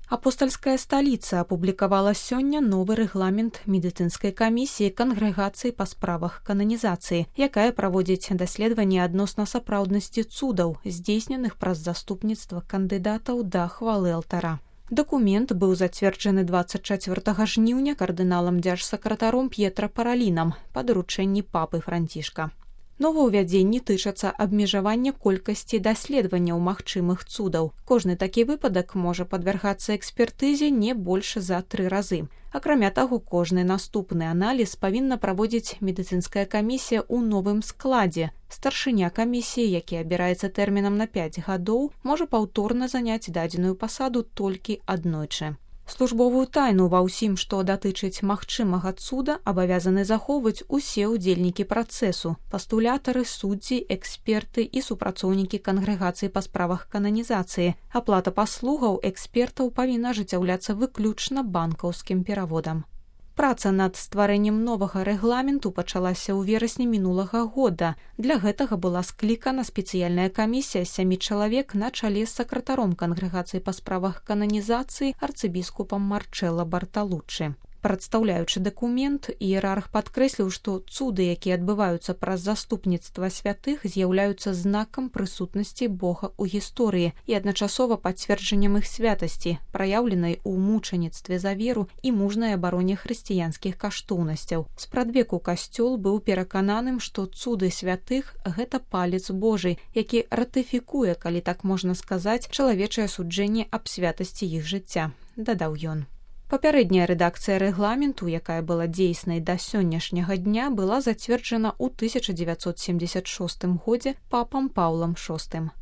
Апостальская сталіца апублікавала сёння новы рэгламент медыцынскай камісіі кангрэгацыі па справах кананізацыі, якая праводзіць даследаванне адносна сапраўднасці цудаў, здзейсненых праз заступніцтва кандыдатаў да хвалы алтара. Дакумент быў зацверджаны 24 жніўня кардыналам дзяржсакратаром П'етра Паралінам па даручэнні папы Францішка. Новаўвядзенні тычацца абмежавання колькасці даследаванняў магчымых цудаў. Кожны такі выпадак можа падвяргацца экспертызе не больш за 3 разы. Акрамя таго, кожны наступны аналіз павінна праводзіць медыцынская камісія ў новым складзе. Старшыня камісіі, які абіраецца тэрмінам на 5 гадоў, можа паўторна заняць дадзеную пасаду толькі аднойчы. Службовую тайну ва ўсім, што датычыць магчымага цуда, абавязаны захоўваць усе ўдзельнікі працэсу, пастулятары, суддзі, эксперты і супрацоўнікі кангрэгацыі па справах кананізацыі. Аплата паслугаў экспертаў павінна ажыццяўляцца выключна банкаўскім пераводам. Праца над стварэннем новага рэгламенту пачалася ў верасні мінулага года. Для гэтага была склікана спецыяльная камісія з 7 чалавек на чале з сакратаром кангрэгацыі па справах кананізацыі арцыбіскупам Марчэлла Барталуччы. Прадстаўляючы дакумент, іерарх падкрэсліў, што цуды, якія адбываюцца праз заступніцтва святых, з'яўляюцца знакам прысутнасці Бога ў гісторыі і адначасова пацверджаннем іх святасці, праяўленай у мучаніцтве за веру і мужнай абароне хрысціянскіх каштоўнасцяў. Спрадвеку касцёл быў перакананым, што цуды святых – гэта палец Божий, які ратыфікуе, калі так можна сказаць, чалавечае суджэнне аб святасці іх жыцця, дадаў ён. Папярэдняя рэдакцыя рэгламенту, якая была дзейснай да сённяшняга дня, была зацверджана ў 1976 годзе папам Паўлам VI.